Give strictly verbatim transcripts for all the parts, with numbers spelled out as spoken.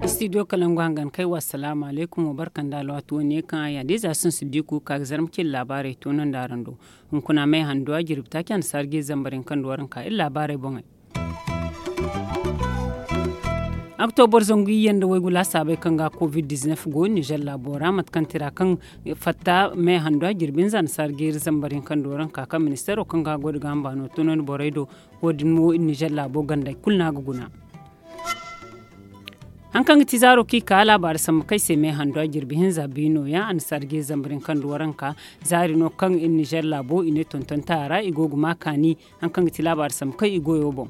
Istidiyo kalangu hangan kay wa salaamu alaykum wa barka nda alwaati wane kaŋ a ya da ize a sinsi diiku ka ga zarma cin laabaarey to no nda araŋ do. Hunkuna may handuwa jirbi taaci a na saara ga iri zambar yaŋ kaŋ nda waranka iri laabaarey boŋey. Oktobar zangu iyye nda waygu laasaabey kaŋ ga covid dizinef go ninzeer laabo ra mate kaŋ tira kaŋ fatta me handu a jirbi hinza na saara ga iri zambar yaŋ kaŋ nda waranka kaŋ ministeero kaŋ ga goy nda ga hamba no toonandi borey do. Wo- din mo ninzeer laabo gandey kulu no a ga guna. Hari kaŋ ga ti zaaro kaŋ i ka laabaari sambu kaŋ ay se me handu a jirbi hinza biino yaŋ a na saara ga iri zambar yaŋ kaŋ nda waranka. Zaari no kaŋ ninzeer laabo i ne tontonta ra i go ga ma kaani. Hari kaŋ ga ti laabaari sambu kaŋ i goyo boŋ.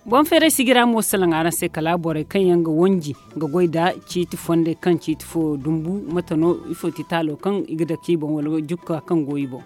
Boŋ feeray sijira mo salaŋ araŋ se kala borey kaŋ yaŋ ga wanji ga goy nda ciiti fondey kaŋ ciiti fo dumbu mate no ifo ti taalo kaŋ i ga dake i boŋ wala jukka kaŋ go i boŋ.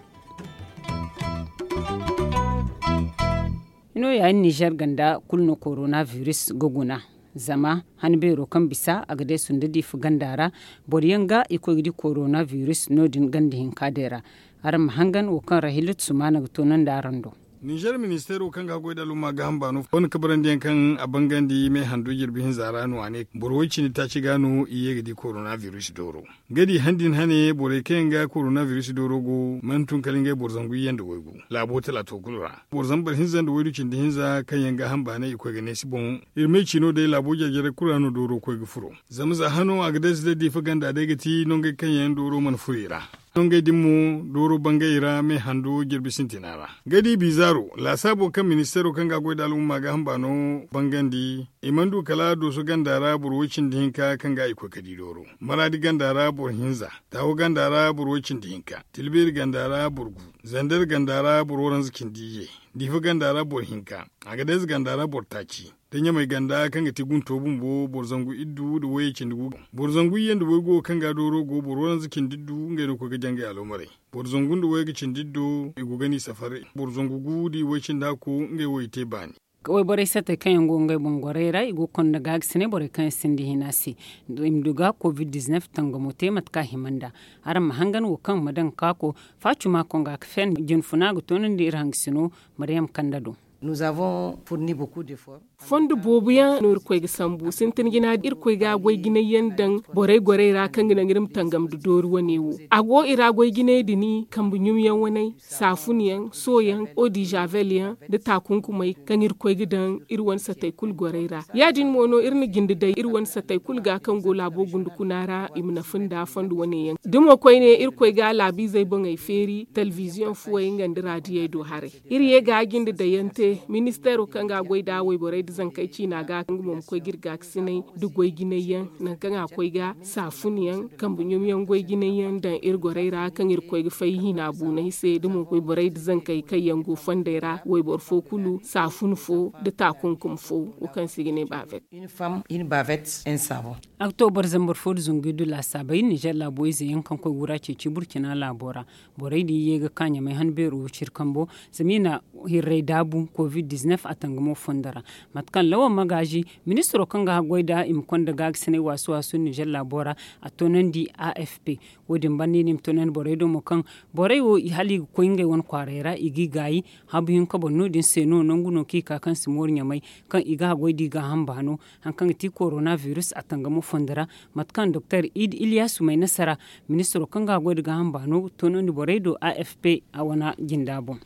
Hino ya iri ninzeer ganda kulu no korona biris ga guna. Zama han beero kaŋ bisa a ga deesu nda diifa ganda ra boro yaŋ ga i koy ga di korona biris no- din ganda hinka day ra. Araŋ ma hangan wo kaŋ rahilatu sumaana ga toonandi araŋ do. Ninzeer ministeero kaŋ ga goy nda alumma ga hamba no fonda kabarandi yaŋ kaŋ a bangandi me handu jirbi hinza ra no a ne boro way- cindi taaci ga no i ye ga di korona biris dooro. Ga di han din hane borey kaŋ yaŋ ga korona biris dooro go mana tun kala ngey boro zangu iyye nda waygu laabo talaato kulu ra. Boro zambar hinza nda waydu cindi hinza kaŋ yaŋ ga hamba ne i koy ga neesi boŋ. Iri may ciino day laabo jare-jare kulu ra no dooro koy ga furo. Zama za hano a ga deesi day diifa ganda day ga ti nongey kaŋ yaŋ dooro mana furo i ra. Nongey din mo dooro bangay ra me hando jirbi sintina ra. Ga di bizaaro laasaabo kaŋ ministeero kaŋ ga goy nda al'umma ga hamba no bangandi. I mana du kala dooso ganda ra boro way- cindi hinka kaŋ ga i koy ga di dooro. Maraadi ganda ra boro hinza. Taawo ganda ra boro way- cindi hinka. Tilbeeri ganda ra boro gu. Zandar ganda ra boro waranza cindi iyye. Diifa ganda ra boro hinka. Agadez ganda ra boro taaci. Da ɲamay ganda kaŋ ga ti gunto bumbo boro zangu iddu nda wayey cindi gu. Boro zangu iyye nda waygu wo kaŋ ga dooro go boro waranza cindi iddu ngey no koy ga jangay aloomarey. Boro zangu nda wayey ga cindi iddo i go ga ni safari. Boro zangu gu nda i way- cindi hakku ngey wo i te baani. Wayborey satey kaŋ yaŋ go ngey boŋ gorey ra i go ga konda gaagasinay borey kaŋ yaŋ sinda hina se. I ma du ga covid dizinef tangamo te mate kaŋ a hima nda. Araŋ ma hangan wo kaŋ ma daŋ ga kaako. Faacuma konga ga fen jinfuna ga toonandi iri hangasino. Mariyam kanda do. Fondo boobo yaŋ no irkoy ga sambu sintin jina irkoy ga goy jinay yaŋ daŋ. Borey gorey ra kaŋ ga naŋ iri ma tangam nda doori wane wo. A go i ra goy jinay din kambe ɲumyaŋ waney, saafun yaŋ, sooyaŋ, odizavel yaŋ, nda taakunkumey kaŋ irkoy ga daŋ iri wane satey kulu gorey ra. Ya- din mo no iri na jinde day iri wane satey kulu ga kaŋ go laabo gunde kuna ra i ma nafa nda fondo wane yaŋ. Da mo koyne irkoy ga laabiizey boŋey feeri telebiziyoŋ fuwey nga nda raadiyey do haray. Iri ye ga jinde dayaŋ te. Ministeero kaŋ ga goy nda wayborey nda zankey ciina ga nga mo ma koy ga iri gaakasinay nda goy jinay yaŋ. Nangu kaŋ a koy ga saafun yaŋ kambe ɲumyaŋ goy jinay yaŋ daŋ iri gorey ra kaŋ iri koy ga fay hina buunay se da mo wayborey nda zankey kaŋ yaŋ go fondey ra wayboro fo kulu saafun fo nda taakunkum fo. Wo kaŋ se i ga ne baavet. Oktoobar zambar fo nda zangu iddu laasaabey ninzeer laabo ize yaŋ kaŋ koy wura ceeci burcina laabo ra. Borey din ye ga ka ɲamay han beero wo ciri kambo zama i na hirray daabu covid dizinef a tangamo fondo ra. Mate kaŋ lawan magaazi ministiro kaŋ ga haggoy nda i ma konda gaagasinay waasu waasu ninzeer laabo ra. A toonandi a f p. Wo- din banda i ne i ma toonandi borey do mo kaŋ borey wo hala i ga koy ngey wane kwaaray ra i g'i gaayi. Habu hinka boŋ no- din se no nangu no kaŋ i ka kaŋ si mooru ɲamay kaŋ i ga haggoy da i gaaham baano. Hari kaŋ ga ti korona biris a tangamo fondo ra. Mate kaŋ doktor id iliyasu may nasara ministiro kaŋ ga a goy nda gaaham baano toonandi borey do a f p a wana jinda boŋ.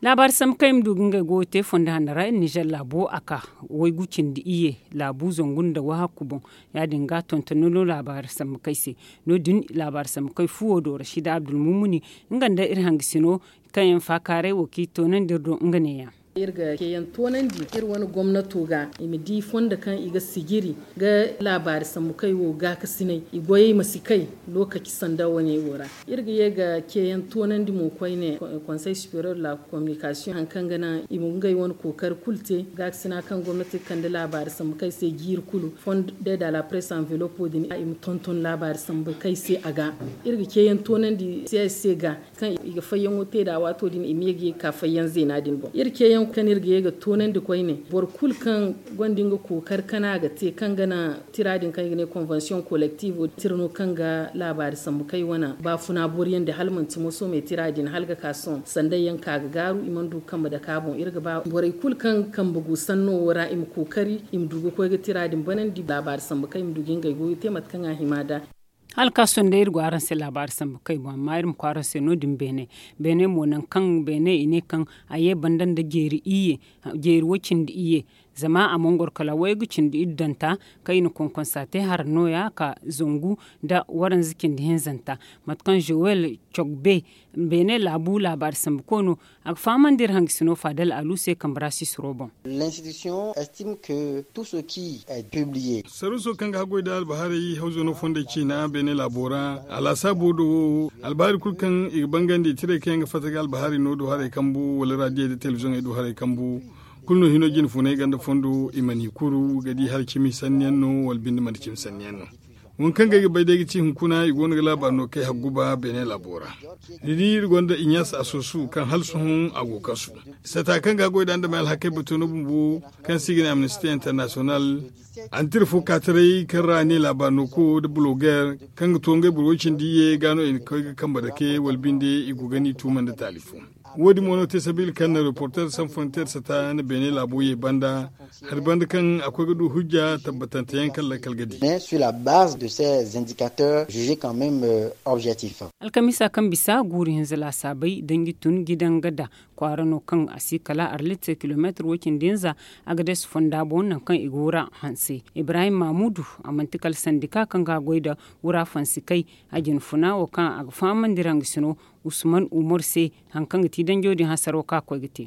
Laabaari sambu kaŋ i ma du ga ngey goyo te fondo hanno ra iri ninzeer laabo a ka waygu cindi iyye laabu zangu nda wahakku boŋ. Ya- din ga tontono no laabaari sambu kaŋ se. No- din laabaari sambu kaŋ fuwo do rashida abdulmumuni nga nda iri hangasino kaŋ yaŋ faakaaray wo kaŋ i toonandi iri do nga neeya. Iri ga ceeyaŋ toonandi iri wane gomnato ga i ma di fondo kaŋ i ga sijiri ga laabaari sambu kaŋ i wo gaakasinay i goyey ma si kay. Lookaci sanda wane wo ra iri ga ye ga ceeyaŋ toonandi mo koyne. Konsey superior de la kominikasiyoŋ hari kaŋ ga naŋ i ma ngey wane kookari kulu te gaakasina kaŋ gomnati ga kande laabaari sambu kaŋ i se jiiri kulu fondo de da la presse anvelopo din i ma tonton laabaari sambu kaŋ i se a ga. Iri ga ceeyaŋ toonandi se ga kaŋ i ga fayyaŋo te nd'a waato din i ma ye ga ye ga ka fayyaŋ zeena din boŋ iri ceeyaŋ. Kaŋ iri ga ye ga toonandi koyne, boro kulu kaŋ gonda nga kookari kana ga te kaŋ ga naŋ tira din kaŋ i ga ne konvensiyoŋ kolektiivo tira no kaŋ ga laabaari sambu kay wane baafuna boriyandi hala manti moso me tira din hala ga ka sohõ sanday yaŋ ka ga gaaru i mana du ga kambe dake a boŋ iri ga ba borey kulu kaŋ kambe gu sanno wo ra i ma kookari i ma du ga koy ga tira din banandi laabaari sambu kay i ma du ga ngey goyo te mate kaŋ a hima nd'a. Hala ka sohõ day iri go araŋ se laabaari sambu kay boŋ amma iri ma koy araŋ se no- din beene. Beene mo nangu kaŋ beene i ne kaŋ a ye banda nda jeeri iyye, jeeri wo cindi iyye. Zama a mana goro kala waygu cindi iddanta kaŋ i na konkonsa te hara nooya ka zangu nda waranza cindi hinzanta. Mate kaŋ zowel cogbe beene laabu laabaari sambu koono a ga fahamandi iri hangasino faadal alu se kambe ra sisiro boŋ. Saruuso kaŋ ga haggoy nda albahaarey hawzo no fondey ciina beene laabo ra a laasaabo do wo albahaari kulu kaŋ i ga bangandi tirey kaŋ yaŋ ga fatta ga albahaari no do haray kambu wala raadiyey nda telebizoŋey do haray kambu. Kulu no hino jine funay ganda fondo i mana i kuru ga di hala cimi sanni yaŋ no wala binde manti cimi sanni yaŋ no. Wo kaŋ ga ay ga bay day ga ci hunkuna i go no ga laabaari no kay hagguba beene laabo ra. Ni di iri gonda inyas asosu kaŋ hala sohõ a go kasu sata kaŋ ga goy da andamey alhakey bato no bumbo kaŋ se i ga ne amnesty international. Antir fo ka taray kaŋ ra ne laabaari no ko nda bloger kaŋ ga to ngey boro wo cindi iyye ga no i na koy ga kambe dake wala binde i go ga ni tuuma nda taali fo. Wo- din mo no te sabiila kaŋ na reporter sans frontier sata na beene laabo ye banda hari banda kaŋ a koy ga du hujja tabbatante yaŋ kaŋ lakkal ga di. Alkamiisa kaŋ bisa guuru hinza laasaabey danji tun gidanga da kwaara no kaŋ a si kala arlit kilomeetir wo- cindi hinza. Agades fonda boŋ nangu kaŋ i go ra hanse ibrahim mamudu a manti kala sandika kaŋ ga goy nda wura fansi kay a jine funa wo kaŋ a ga fahamandi iri hangasino usman umar se hari kaŋ ga ti danjo din hasaro kaŋ a koy ga te.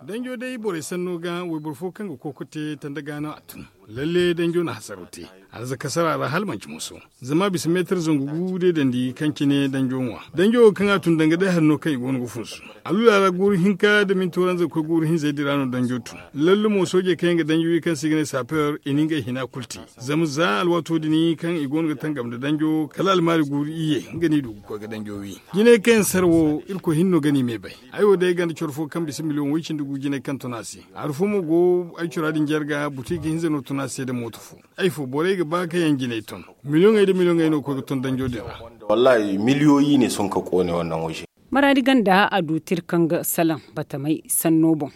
Danjo day borey sanno ga wayboro fo kaŋ ga kooko te tanda ga no a tun. Lalle danjo na hasaro te. Arzaka sara ra hala manci muso zama bisa meetar zangu gu day dandi kaŋ cine danjo ŋwa danjo wo kaŋ a tun danga day hari no kaŋ i go no ga funsu. Alula ra guuru hinka nda minti waranza ga koy guuru hinzey din ra no danjo tun. Lallumo soojey kaŋ yaŋ ga danjo wi kaŋ se i ga ne saper i na ngey hina kulu te. Zama za alwaato din kaŋ i go no ga tangam nda danjo kala almaari guuru iyye nga no i du ga koy ga danjo wi. Jinay kaŋ yaŋ sara wo irkoy hinne no ga no i me bay. Ay wo day ay ganda coro fo kaŋ bisa miliyoŋ way cindi gu jinay kaŋ tun a se. Hari fo mo go ay cora din jarga buti ga hinza no tun a se nda mooto fo. Ay fo borey ga ba ka yaŋ jinay ton. Miliyoŋey nda miliyoŋey no ga koy ga ton danjo din ra. Wallahi miliyoyi ne sohõ ka koone wannan waje. Maraadi ganda a du tirkaŋ ga salaŋ batamey sanno boŋ.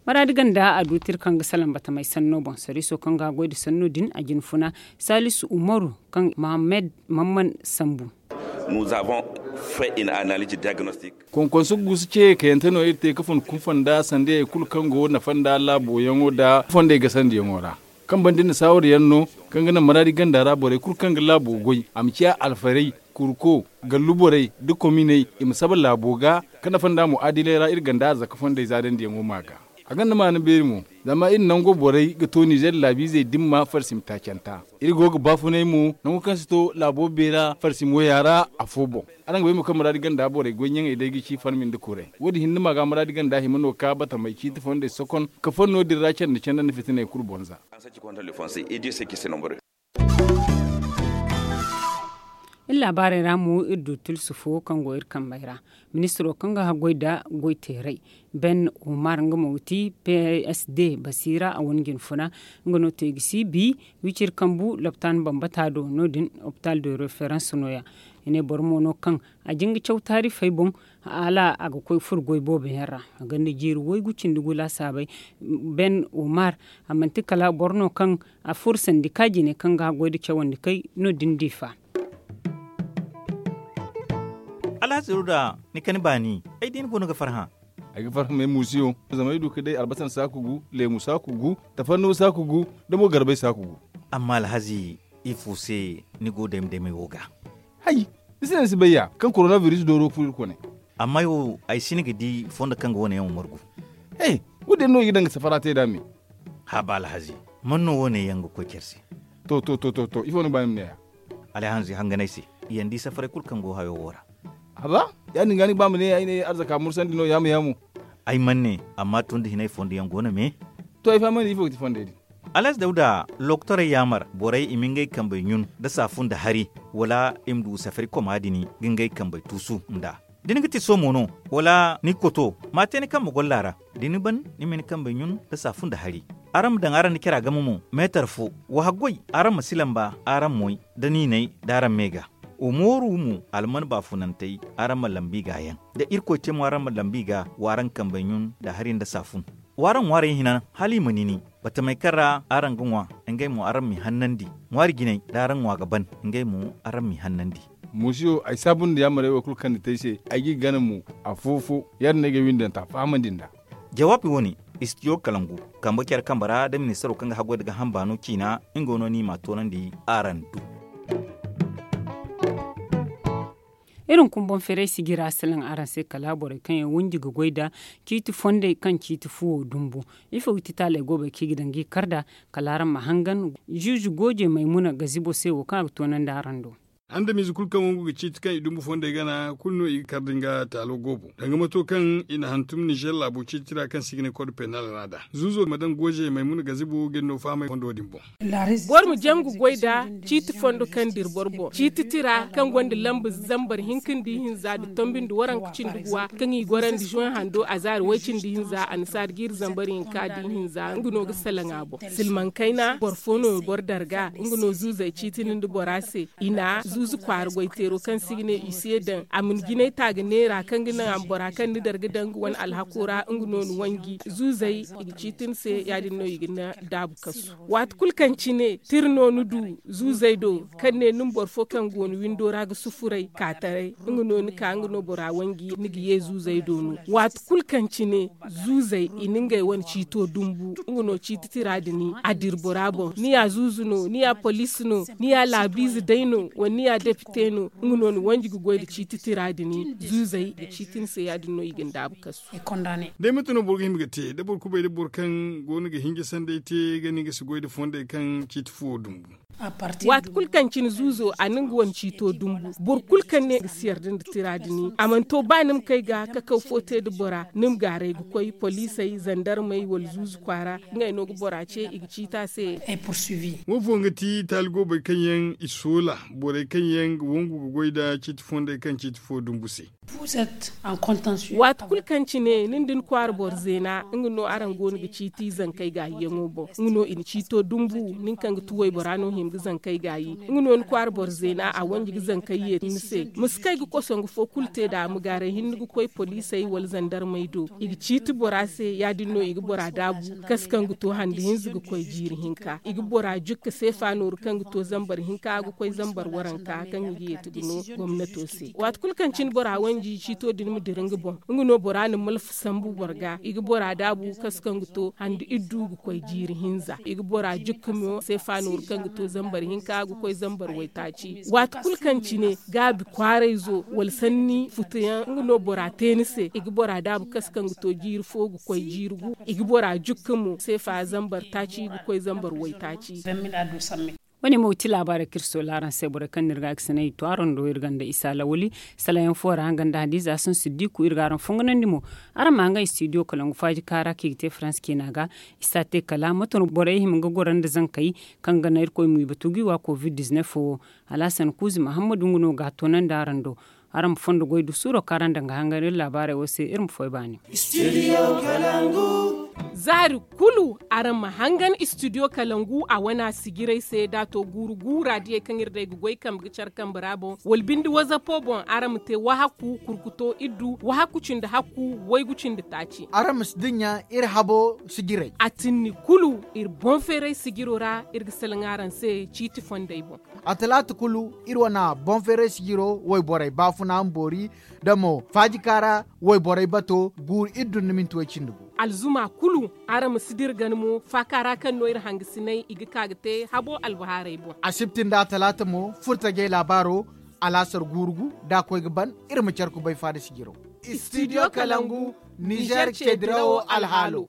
Maraadi ganda a du tirkaŋ ga salaŋ batamey sanno boŋ sariiso kaŋ ga goy nda sanno din a jine funa salisu umaru kaŋ mohammed mamman sambu. Konkonso guusu ce kayante no iri te ga fun kunfanda sandiyey kulu kaŋ go nafa nda laabo yaŋo nda fondey gasandiyaŋo ra. Kaŋ banda iri na saawar yaŋ no kaŋ ga naŋ maraadi ganda ra borey kulu kaŋ ga laabo goy a ma ciya alfarey, kurko, gallu borey, nda kominey i ma saba laabo ga. Ka nafa nda mu'aadiley ra iri ganda arzaka fondey zaadandiyaŋo ma ga. A gonda maana beeri mo. Zama iri nango borey ga to nizer laabiizey dimma farsim taacanta. Iri go ga baafunay mo nango kaŋ si to laabo beera farsim waya ra afo boŋ. Araŋ ga bay mo kaŋ muraadi ganda borey goy ɲaŋey day ga ci farmi nda kuray. Wo- din hinne ma ga muraadi ganda hima no ka batamey ciiti fondey sokon ka fonno din ra canda canda nda fitiney kulu boŋ za. Iri laabaarey ra mo iri du tulsu fo kaŋ go iri kambey ra. Ministiro kaŋ ga haggoy nda goy teeray ben umar nga mo ga ti p s d basiira a wane jinfuna. Nga no te ga si bi wiciri kambu lopitaano bambata do no- din hopital de reference no- ya. I ne boro mo no kaŋ a jin ga caw taarifey boŋ hala a ga koy furo goy boobo yaŋ ra. A gonda jiiri waygu cindi gu laasaabey ben umar a manti kala boro no kaŋ a furo sandi ka jine kaŋ ga haggoy nda cawandi kay no- din diifa. Alhazi ruda, ni kani baani ay day ni goono ga farhã. Ay ga farhã m'ay muusiyo zama ay du ga day albasan saaku gu, leemu saaku gu, tafarnuwa saaku gu, nda mo garbay saaku gu. Amma alhazi, ifo se ni go dayma daymay wo ga? Hay, ni si ne ni si bay ya kaŋ korona biris dooro furo irkoy ne. Amma ay wo ay si ni ga di fondo kaŋ ga wo- ne yaŋ wo margu. He, wo- din no i ga daŋ ga safara te nd'a me. Haba alhazi, man no wo- ne yaŋ ga koy care se? To to to to to ifo ni ga ba ni ma ne ya? Alhazi hanganay se, i yaŋ di safaray kulu kaŋ go hayo wo ra. Haba, ya- din ga ni ga ba ma ne ay ne arzaka mursandi no yaamu yaamu. Ay mana ne, amma tun da hinay fondo yaŋ go no me. To ay fahamandi ifo ga ti fondey din? Alhazi dawda, lokotorey yaamar borey i ma ngey kambey ɲun nda saafu nda hari, wala i ma du safari koma din ga ngey kambey tuusu nd'a. Da ni ga tiso mo no, wala ni ga koto, ma te ni kambe golla ra. Da ni ban, ni ma ni kambey ɲun nda saafun nda hari. Araŋ ma daŋ araŋ nda cara game mo, meetar fo. Wa haggoy, araŋ ma si lamba araŋ moy nda niinay, da araŋ me ga. Wa mooru mo, alman baafunantey, araŋ ma lamba i ga yaŋ. Da irkoy te mo araŋ ma lamba i ga, wa araŋ kambey ɲun nda hari nda saafun. Wa araŋ ŋwaarey hina, hala i ma nini. Batamey kaŋ ra araŋ ga ŋwa, ngey mo araŋ m'i hannandi. Ŋwaari jinay, da araŋ ŋwa ga ban, ngey mo araŋ m'i hannandi. Muusiyo, ay saabu nda yaamarey wo kulu kaŋ ni te ay se, ay g'i gana mo, afo-fo. Ya- din no ay ga ay windanta fahamandi nd'a. Jawaabi wo- ne, istidiyo kalangu, kambe care kambe ra da ministaro kaŋ ga haggoy nda gaaham baano ciina, nga no no i m'a toonandi araŋ do. Iri hunkuna boŋ feeray sijira salaŋ araŋ se kala borey kaŋ yaŋ wanji ga goy nda ciiti fondey kaŋ ciiti fuwo dumbu. Ifo ga ti taaley goobey kaŋ i ga daŋ ga i kar nd'a? Kala araŋ ma hangan, ziizi gooje maymuna gazibo se wo kaŋ a ga toonandi araŋ do. Andamiize kulu kaŋ wangu ga ciiti kaŋ i dumbu fondey gana kulu no i ga kar da nga taalo goobo, danga mato kaŋ i na hantum nizer laabo ciiti ra kaŋ se i ga ne kod penal ra nd'a. Zuuzo ma daŋ gooje maymuna gazibo ga ni no fahamay fondo din boŋ. Boro ma jangu goy nda ciiti fondo kaŋ dira boro boŋ, ciiti tira kaŋ gonda lamba zambar hinka nda ihinza nda tombi nda waranka cindi guwa, kaŋ i gorandi zoŋ hando a zaari way cindi hinza annasaari jiiri zambar hinka nda ihinza, nga no ga salaŋ a boŋ. Silmaŋ kayna boro fo no boro darga, nga no zuuzey ciitini nda bora se. I na zuuzu kwaara goyteero kaŋ se i ga ne i se daŋ a ma ni jinay ta ga neera kaŋ ga naŋ a ma bora kaŋ ni darga daŋ nga wane alhako ra, nga no ni wanji. Zuuzey i ga ciiti ni se, ya- din no i ga ni daabu kasu. Waati kulu kaŋ cine tira no ni du zuuzey do, kaŋ ne ni ma boro fo kaŋ go ni windo ra ga sufuray ka taray, nga no ni ka nga no bora wanji ni ga ye zuuzey do no. Waati kulu kaŋ cine zuuzey i na ngey wane ciito dumbu, nga no ciiti tira din a dira bora boŋ. Ni ya zuuzu no, ni ya poliisi no, ni ya laabiize day no, wala ni ya depite no, nga no ni wanji ga goy nda ciiti tira din. Zuuzey i ga ciiti ni se, ya- din no i ga ni daabu kasu. Day mate no boro ga hima ga te da boro kubay da boro kaŋ go no ga hinja sanday te ga ni ga si goy nda fondey kaŋ ciiti fuwo dumbu? Waati kulu kaŋ cine zuuzo a na nga wane ciito dumbu, boro kulu kaŋ ne ga si yarda nda tira din, a mana to ba ni ma kay ga kakaw fo te nda bora, ni ma gaaray ga koy poliisey, zandarmey wala zuuzu kwaara, ngey no ga bora ce i ga ciiti a se. Wo fo nga ti taali goobey kaŋ yaŋ i soola borey kaŋ yaŋ ga wangu ga goy nda ciiti fondey kaŋ ciiti fo dumbu se. Waati kulu kaŋ cine nin da ni kwaara boro zeena, nga no araŋ go no ga ciiti zankey gaayiyaŋo boŋ. Nga no i na ciito dumbu, nin kaŋ ga ti waybora no hima ga zankey gaayi. Nga no ni kwaara boro zeena a wanji ga zankey yeeti ni se. Ma si kay ga kosongu fo kulu te nd'a, ma gaaray hinne ga koy poliisey wala zandarmey do. I ga ciiti bora se, ya- din no i ga bora daabu. Kasu kaŋ ga to hande hinza ga koy jiiri hinka, i ga bora jukka seefa nooru kaŋ ga to zambar hinka ga koy zambar waranka kaŋ i ga yeeti ga no gomnato se. Waati kulu kaŋ cine bora wanji ciito din ma dira nga boŋ, nga no bora na malfa sambu boro ga. I ga bora daabu kasu kaŋ ga to hande iddu ga koy jiiri hinza. I ga bora jukka mo seefa nooru kaŋ ga to zambar hinka ga koy zambar waytaaci. Waati kulu kaŋ cine gaabi kwaarayzo wala sanni futuyaŋ, nga no bora te ni se. I ga bora daabu kasu kaŋ ga to jiiri fo ga koy jiiri gu. I ga bora jukka mo seefa zambar taaci ga koy zambar waytaaci. Wo- ne mo ga ti laabaarey kaŋ iri soola araŋ se, borey kaŋ no iri ga a ga sinay i to araŋ do iri ganda isa lawali. Salayaŋ fo ra nga nda hadiza sun siddiku iri ga araŋ fonganandi mo. Araŋ ma nga istidiyo kalangu faaji kaara kaŋ i ga te farans ciina ga. I si a te kala mate no borey hima ga goro nda zankey kaŋ ga naŋ irkoy ma i batu ga i wa covid dizinef wo. Alhasan kuuzi mahammadu nga no ga a toonandi araŋ do. Araŋ ma fondo goy du suuro kaŋ araŋ daŋ ga hangan iri laabaarey wo se iri ma foy baani. Zaari kulu araŋ ma hangan istidiyo kalangu a wana sijirey se da a to guuru guura diyey kaŋ iri day ga goy kambe ga care kambe ra boŋ wala binde wazapo boŋ araŋ ma te wahakku kurkuto iddu wahakku cindi hakku waygu cindi taaci. Araŋ ma si dinya iri habo sijirey a tinni kulu iri boŋ feeray sijiro ra. Iri ga salaŋ araŋ se ciiti fondey boŋ. A talaata kulu iri wana boŋ feeray sijiro wayborey baafuna ma boori da mo faajika ra wayborey bato guuru iri dun ni minti way cindi gu. Alzuma kulu araŋ ma si dira gana mo faaka ra kaŋ no iri hangasinay i ga ka ga te habo albahaarey boŋ. Asibti nda talaata mo furtajey laabaaro alaasar guuru gu da a koy ga ban. Iri ma care kubay faada sijiro. Istidiyo kalangu nizer cedirawo alhaalo.